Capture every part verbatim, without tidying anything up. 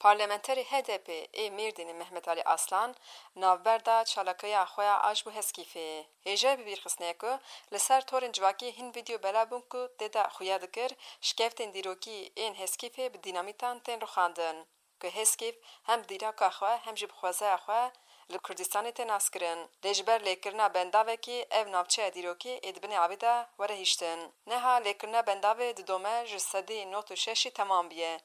Parlamenterê H D P ê Mêrdînê Mehmet Alî Aslan navberda çalakiya xwe ya a ji bo Heskîfê. Hêja bibîrxistinê ye ku li ser torên civakî hin vîdeo belav bûn ku tê de xuya dikir şikeftên dîrokî ên Heskîfê bi dînamîtan tên rûxandin, ku Heskîf hem bi dîroka xwe hem jî bi xwezaya xwe li Kurdistanê tê naskirin. Lê ji ber lêkirina bendavekî ev navçeya dîrokî ê di binê avê de were hiştin. Niha lêkirina bendavê didome ji sedî nod û şeşî temam bûye.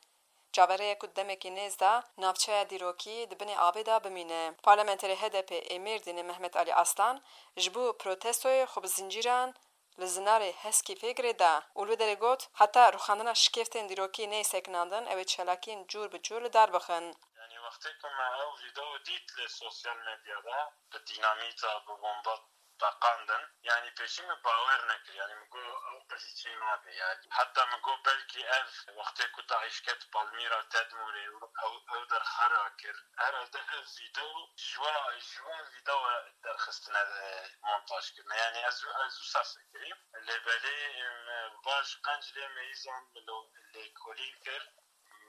Çaverê ye ku demekî nêz de navçeya dîrokî di binê avê de bimîne. Parlamenterê H D P ê Mêrdînê Mehmet Alî Aslan ji bo protestoyê xwe bi zincîran li zinarê Heskîfê girêda û li wê derê got, heta rûxandina şikeftên dîrokî neyê sekinandin, ew ê çalakiyên cûr bi cûr li dar bixin. Yanî wextê ku me ew vîdeo dît li sosyal medyada, bi dînamîta, bi bomba teqandin. Yanî pêşî min bawer nekir. Yanî min got ew qijî çê nabe. Yanî heta min got belkî ev wextê ku DAIŞ ket Palmîra, Tedmûrê û ew, ew derxera kir. Herhalde ev vîdeo ji we, ji we vîdeo derxistine, e, montaj kirine. Yanî ez, ez wisa fikirîm. Lê belê, em, baş qenc lê meyîzan min lo-, lêkolîn kir.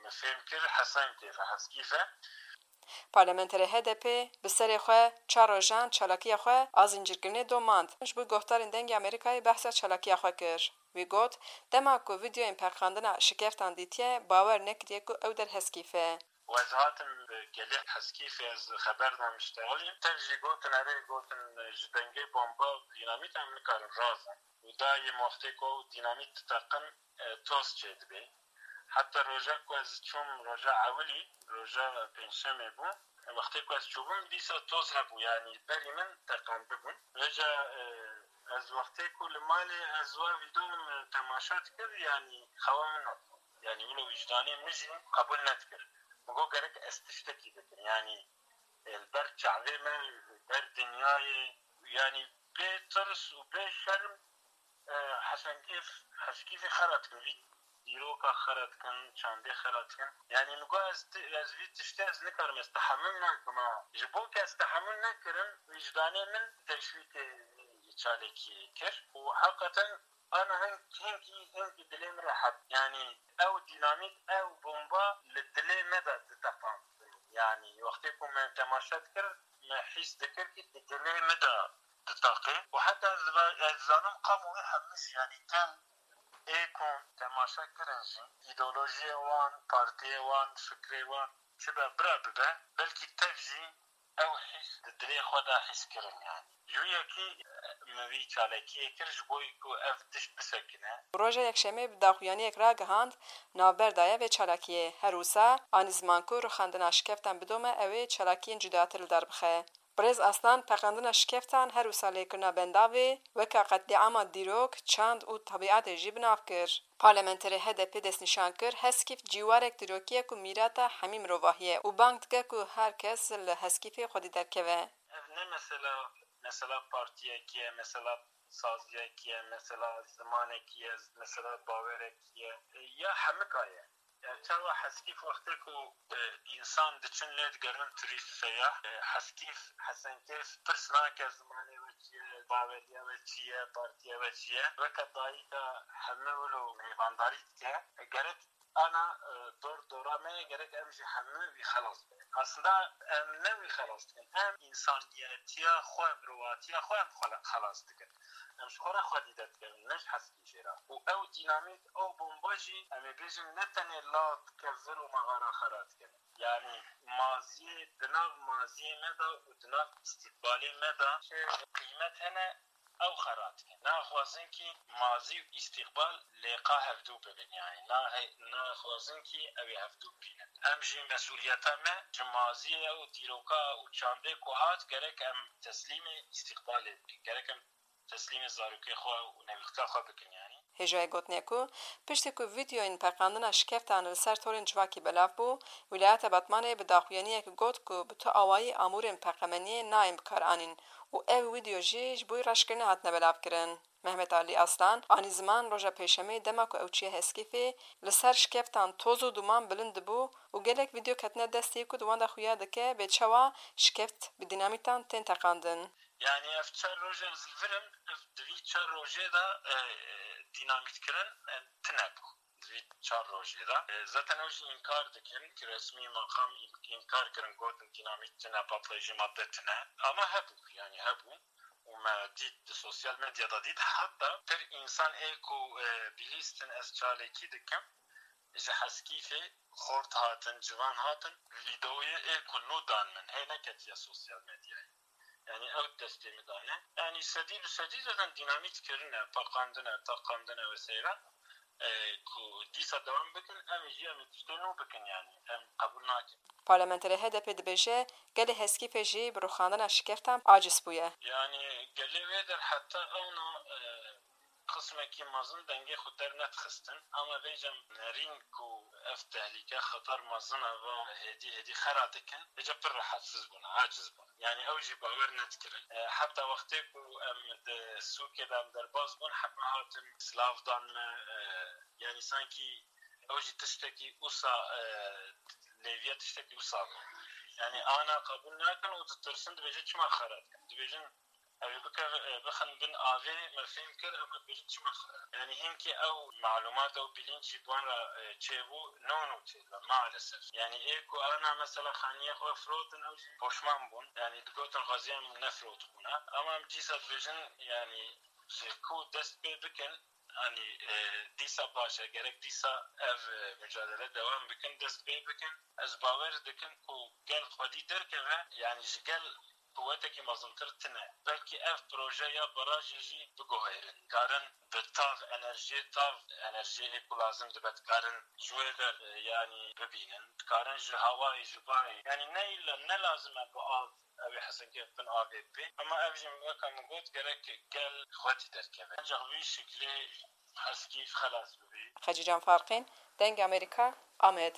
Min fêm kir Hesen kêf e, Heskîf e. Parlamenterê H D P bi serê xwe çar rojan çalakiya xwe a zincîrkirinê domand. Ji bo guhdarên Dengê Amerîkayê behsa çalakiya xwe kir. Wî got, dema ku vîdeoyên pêxandina şikeftan dîtiye, bawer nekiriye ku ew der Heskîf e. Û ez hatim bi gelê Heskîfê, ez xeber da miştexilî. Tev jî gotin, erê, gotin, ji dengê bomba û dînamît em nikarin razin. Û dayê wextê ku ew dînamît diteqin, e, toz çêdibe. Heta roja ku ez çûm, roja ewilî, roja pêncşemê bû. Wextê ku ez çûbûm, dîsa toz hebû, yanî berî min teqandibûn. Vêca, e, ez wextê ku li malê ez wa vîdeo min temaşe dikir, yanî xewa min nedixwest. Yanî wilo wijdanê min jî qebûl nedikir. Min got gerek ez tiştekî bikim. Yanî, e, li ber çavê me, li ber dinyayê, yanî bê tirs û bê şerm, e, Hesen Kêf, Heskîfê xera dikin. Vî dîroka xera dikin, çandê xera dikin. Yanî min got ez ti-, ez vî tiştê ez nikarim, ez tehemûl nakim ha. Ji bo ku ez tehemûl nekirim, wijdanê min teşwîqê çalakiyê kir. Û heqeten ana hin-, hinkî, hinkî dilê min rehet. Yanî ew dînamît, ew bomba li dilê me de diteqand. Yanî wextê ku me temaşe dikir, me hîs dikir ki di dilê me de diteqe. Û heta ez va-, ez dizanim qam wê hemû jî, yanî tem ê ku temaşe kirin jî, îdeolojiyê wan, partiyê wan, fikrê wan çi be, bira bibe, belkî tev jî ew hîs di dilê xwe de hîs kirin yanî. Ji wî yekî, e, min vî çalakiyê kir ji bo ku ev tişt bisekine. Roja Yekşemê bi daxuyaniyek ragihand, navber daye vê çalakiyê. Her wisa anî ziman ku rûxandina şikeftan bidome, ew ê çalakiyên cudatir li dar bixe. Birêz Aslan pêxandina şikeftan, her wisa lêkirina bendavê, weke qetlîama dîrok, çand û tebîetê jî bi nav kir. Parlamenterê H D P destnîşan kir, Heskîf cîwarek dîrokî ye ku mîrata hemî mirovahî ye û bang dike ku her kes li Heskîfê xwedî derkeve. Ev ne mesela, mesela partiyekî ye, mesela saziyekî ye, mesela zimanekî ye, mesela bawerekî ye, ya hemika ye. Ya çawa Heskîf wextê ku, e, însan diçin lê digerin turîst seyah, e, Heskîf, Hesenkêf pirs nake zimanê we çi ye, baweriya we çi ye, partiya we çi ye. Weke dayika hemû wilo mêvandarî dike. E, gerek ana, e, dor dora me gerek em jî hemû wî xelas bikin. Aslında em ne wî xelas dikin, em însaniyetiya xwe, mirovatiya xwe em xwe xelas dikin. Em ji xwe re xwe dîde dikerin, ne ji Heskî jê re. Û ew dînamît, ew bomba jî, em ê bêjin, ne tenê la dike, vir û mexara xera dike. Yanî maziyê, di nav maziyê me de û di nav îstîqbalê me de çi qîmet hene, ew xera dikin. Naxwazin kî mazî û îstîqbal lêqa hevdû bibin, yanî nahe-, naxwazin kî ew ê hevdû bibînin. Em jî mesûliyeta me ji maziyê û dîroka û çandê ku hat gerek em teslîmê îstîqbalê bikin. Gerek em teslîmê zarokê xwe û newîlka xwe bikin, yanî. Hêjayê gotinê ku piştî ku vîdeoyên pêxandina şikeftan li ser torên civakî belav bû, Wîlayeta Batmanê bi daxuyaniyek got ku bi tu awayî amûrên peqemeniyê nayên bikaranîn û ev vîdeo jî ji bo reşkirinê hatine belavkirin. Mehmet Alî Aslan anî ziman roja Pêşemê dema ku ew çûye Heskîfê, li ser şikeftan toz û duman bilind dibû û gelek vîdeo ketine destê ku di wan de xuya dike bê çawa şikeft bi dînamîtan tên teqandin. Yanî ev çar roje ez li vir im, ev di vî çar rojê de, e, dînamîtkirin, e, tune bû. vî çar rojê de. E, zaten ew jî înkar dikin ki resmî maqam în-, înkar kirin, gotin dînamît tine, patlayıcı madde tine. Ama hebû, yani hebû. Û me dît, di sosyal medyada dît, heta pir însan ê ku, e, bihîstin ez çalakî dikim, ji Heskîfê xort hatin, ciwan hatin, vîdeoyê ê ku nû dan min, hê neketiye sosyal medyayê. Yani ew destê min dane. Yani sedî bi sedî zaten dînamît kirine, paqandine, taqandine ve seyran. E, ku dîsa dewam bikin, em ê jî em ê tiştê nû bikin yani. Em qebûl nakin. Parlamenterê H D P dibêje, gelê Heskîfê jî bi rûxandina şikeftan aciz bûye. Yani gelê wê der heta ewna, e, qismekî mezin dengê xwe dernedixistin. Ama vêca nerîn ku ev tehlîke xeter mezin e va hêdî hêdî xera dikin. Vêca pir rehetsiz bûn, aciz bûn. Yani ew jî bawer nedikirin. E, heta wextê ku em di sûkê de em derbas bûn, heme hatin silav dan me, e, yani sankî ew jî tiştekî wisa, e, lêviya tiştekî wisa bû. Yani ana qebûl nakin û ditirsin, dibêjin çima xera dikin. Dibêjin ew ê bike-, e, bixin bin avê, me fêm kir, em dibêjin çima xera. Yani hinkî ew malumat, ew bilinc jî bi wan re, e, çêbû, no no çêdibe, maalesef. Yani ê ku ana mesela xaniyê xwe firotin, ew jî poşman bûn. Yani digotin xweziyem nefirotibûna. Ama em dîsa dibêjin, yani ji ku dest pê bikin, Anî, e, dîsa baş e, gerek dîsa ev, e, mücadele dewam bikin, dest pê bikin. Ez bawer dikim ku gel xwedî derkeve, yani ji gel quwetekî mezintir tine. Belkî ev proje ya barajê jî biguherin. Dikarin bi tav, enerjiyê tav, enerjiyê ê ku lazim dibe, dikarin ji wê der, e, yani bibînin. Dikarin ji hawayê, ji bayê. Yani ne îlla, ne lazim e bi av ew ê Hesenkê bin avê bê. Ama ev jî weke min got, gerek gel xwedî derkeve. Ancaq vî şiklê Heskîf xelas bibî. Xecîcan Farqîn, Dengê Amerîka, Amed.